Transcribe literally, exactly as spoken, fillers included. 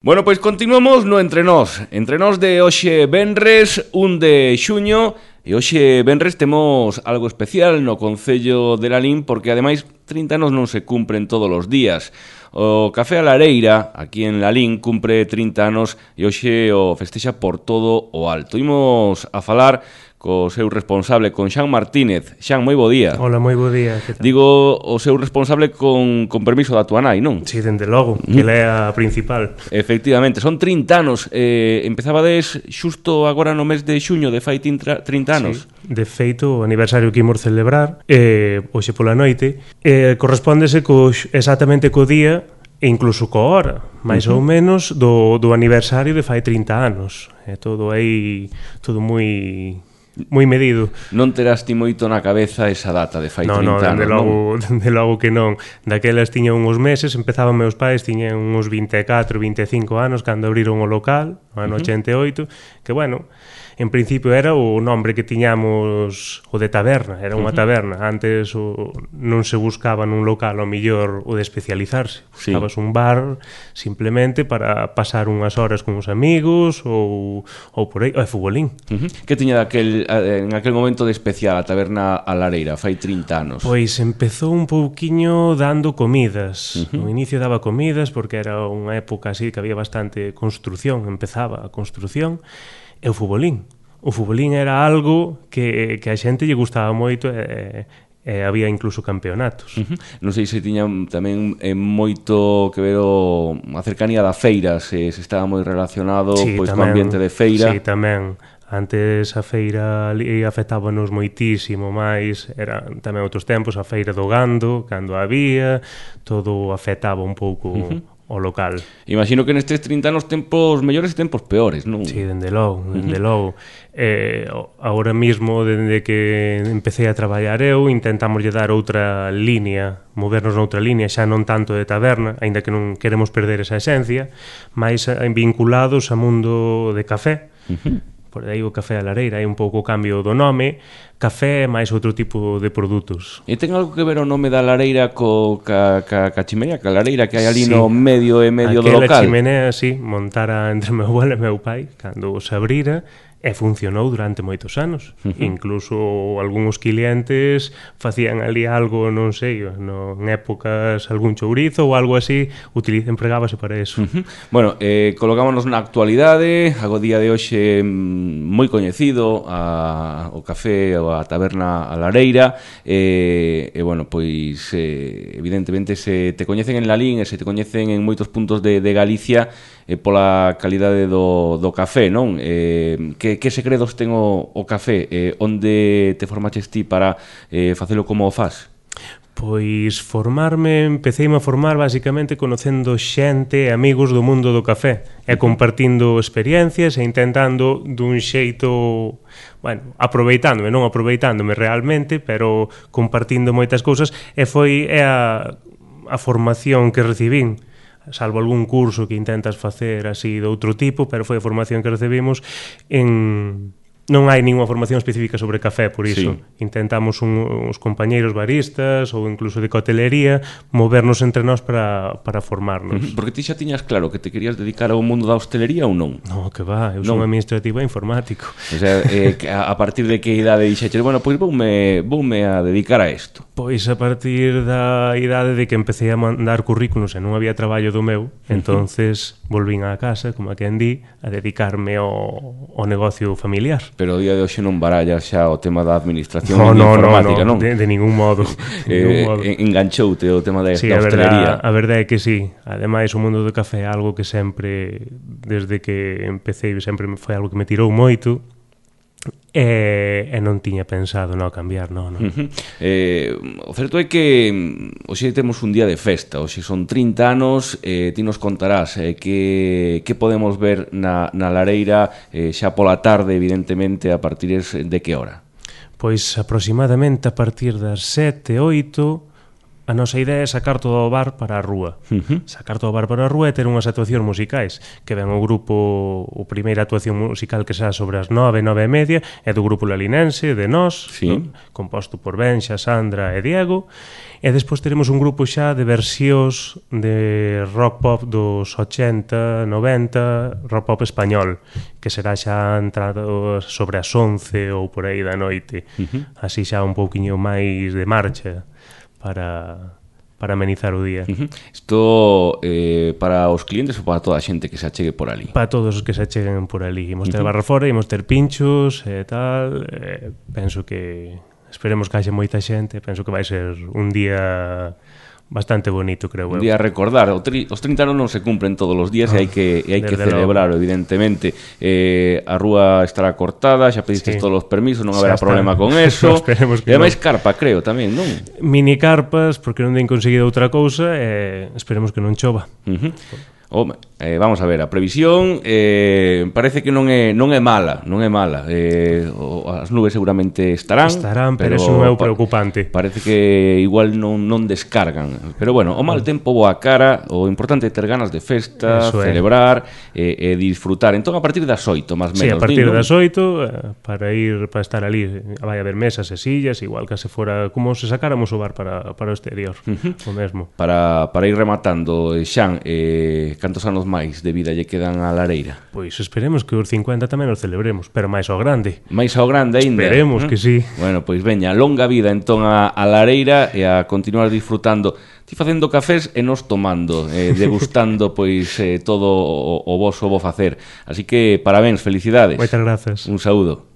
Bueno, pois continuamos no Entre Nós. Entre Nós de hoxe venres, un de xuño, e hoxe venres temos algo especial no Concello de Lalín, porque ademais trinta anos non se cumpren todos os días. O Café a Lareira, aquí en Lalín, cumpre trinta anos e hoxe o festexa por todo o alto. Imos a falar co seu responsable, con Xan Martínez. Xan, moi bo día. Hola, moi bo día. Digo, o seu responsable con, con permiso da tua nai, non? Si, sí, dende logo, que ela é a principal. Efectivamente, son trinta anos. Eh, empezabades xusto agora no mes de xuño de fai trinta anos. Sí, de feito, o aniversario que imos celebrar, eh, hoxe pola noite, eh, correspóndese co, exactamente co día e incluso co hora, máis uh-huh. ou menos, do, do aniversario de fai trinta anos. É todo aí, todo moi... moi medido. Non terás ti moito na cabeza esa data de fai no, trinta no, anos, logo, non? Dende logo que non. Daquelas tiña uns meses, empezaban meus pais, tiñan uns vinte e catro, vinte e cinco anos cando abriron o local, no ano uh-huh. ochenta e oito, que bueno, en principio era o nombre que tiñamos o de taberna, era unha uh-huh. taberna. Antes o, non se buscaba nun local o millor o de especializarse. Buscabas sí. un bar simplemente para pasar unhas horas con os amigos ou, ou por aí, ou futbolín. Uh-huh. Que tiña daquel, en aquel momento de especial a taberna a Lareira, fai trinta anos? Pois empezou un pouquiño dando comidas. Uh-huh. No inicio daba comidas porque era unha época así que había bastante construción, empezaba a construción. E o futbolín. O futbolín era algo que, que a xente lle gustaba moito e, e había incluso campeonatos. Uh-huh. Non sei se tiñan tamén eh, moito que ver o, a cercanía da feira, se, se estaba moi relacionado sí, pois, co ambiente de feira. Sí, tamén. Antes a feira afectábanos moitísimo, máis eran tamén outros tempos, a feira do gando, cando había, todo afectaba un pouco... Uh-huh. o local. Imagino que nestes trinta anos tempos mellores e tempos peores, non? Sí, dende logo, dende uh-huh. logo. Eh, agora mismo, dende que empecé a traballar eu, intentamos lle dar outra línea, movernos noutra línea, xa non tanto de taberna, aínda que non queremos perder esa esencia, máis vinculados ao mundo de café. Uh-huh. Por aí o Café a Lareira, hai un pouco o cambio do nome, café máis outro tipo de produtos. E ten algo que ver o nome da Lareira co ca, ca, ca chimenea, ca Lareira que hai ali sí. no medio e medio Aquela do local? Aquela chimenea, sí, montara entre meu abuelo e meu pai, cando se abrira, e funcionou durante moitos anos. Uh-huh. Incluso algúns clientes facían ali algo, non sei, no, en épocas algún chourizo ou algo así, utiliza, empregábase para eso. Uh-huh. Bueno, eh, colocámonos na actualidade, ago día de hoxe moi coñecido a, o café ou a taberna a Lareira, e, e bueno, pois eh, evidentemente se te coñecen en Lalín e se te coñecen en moitos puntos de, de Galicia eh, pola calidade do, do café, non? Eh, que Que, que segredos ten o, o café? Eh, onde te formaches ti para eh, facelo como o faz? Pois formarme, empecéime a formar basicamente conocendo xente e amigos do mundo do café e compartindo experiencias e intentando dun xeito, bueno, aproveitándome, non aproveitándome realmente, pero compartindo moitas cousas, e foi é a, a formación que recibín, salvo algún curso que intentas facer así de outro tipo, pero foi a formación que recibimos en... Non hai ninguna formación específica sobre café, por iso. Sí. Intentamos un, uns compañeiros baristas ou incluso de cotelería movernos entre nós para, para formarnos. Uh-huh. Porque ti xa tiñas claro que te querías dedicar ao mundo da hostelería ou non? No, que va, eu non. Son administrativo e informático. O sea, eh, a partir de que idade dixeches, bueno, pois voume, voume a dedicar a isto? Pois a partir da idade de que empecé a mandar currículos e non había traballo do meu, uh-huh. entonces volvín á casa, como a quen di, a dedicarme ao, ao negocio familiar. Pero o día de hoxe non baralla xa o tema da administración no, no, informática, no, no, non? De, de ningún modo. De ningún eh, modo. Enganchoute o tema da, sí, da hostelería. A verdade é que sí. Ademais, o mundo do café é algo que sempre, desde que empecé, sempre foi algo que me tirou moito. E, e non tiña pensado non cambiar, non, non. Uh-huh. Eh, o certo é que hoxe temos un día de festa, hoxe son trinta anos, eh, ti nos contarás eh, que, que podemos ver na, na Lareira eh, xa pola tarde, evidentemente, a partir de que hora? Pois aproximadamente a partir das sete, oito, a nosa idea é sacar todo o bar para a rúa. Uh-huh. Sacar todo o bar para a rúa e ter unhas actuacións musicais, que ven o grupo, o primeira actuación musical que xa sobre as nove, nove e media, é do grupo Lalinense, de nós, sí. ¿no? Composto por Benxa, Sandra e Diego, e despois teremos un grupo xa de versións de rock pop dos ochenta, noventa, rock pop español, que será xa entrado sobre as once ou por aí da noite, uh-huh. Así xa un pouquiño máis de marcha para, para amenizar o día. Uh-huh. Isto eh, para os clientes ou para toda a xente que se achegue por ali? Para todos os que se acheguen por ali. Imos ter uh-huh. barra fora, imos ter pinchos e tal. Eh, penso que esperemos que haxe moita xente. Penso que vai ser un día bastante bonito, creo. Un día a recordar. O tri, os trinta anos non se cumplen todos os días, oh, e hai que, e hai que celebrar, evidentemente. Eh, a rúa estará cortada, xa pediste sí. todos os permisos, non haberá problema con eso. E máis carpa, creo, tamén, non? Mini carpas, porque non den conseguido outra cousa, e esperemos que non chova. Uh-huh. Home, eh, vamos a ver, a previsión eh, parece que non é non é mala, non é mala. Eh, o, as nubes seguramente estarán, estarán, pero, pero eso non é o preocupante. Pa, parece que igual non non descargan. Pero bueno, o mal tempo boa cara, o importante é ter ganas de festa, eso celebrar e eh, eh, disfrutar. Entón a partir das oito, máis menos. Sí, a partir digo, das oito eh, para ir para estar ali, vai haber mesas e sillas, igual que se fora como se sacáramos o bar para para o exterior, uh-huh. o mesmo. Para para ir rematando, Xan, eh cantos anos máis de vida lle quedan á lareira? Pois esperemos que os cincuenta tamén os celebremos, pero máis ao grande. Máis ao grande aínda? Esperemos ¿eh? que sí. Bueno, pois veña, longa vida entón a, a lareira e a continuar disfrutando. Ti facendo cafés e nos tomando, eh, degustando pois eh, todo o, o voso bo facer. Así que parabéns, felicidades. Moitas grazas. Un saúdo.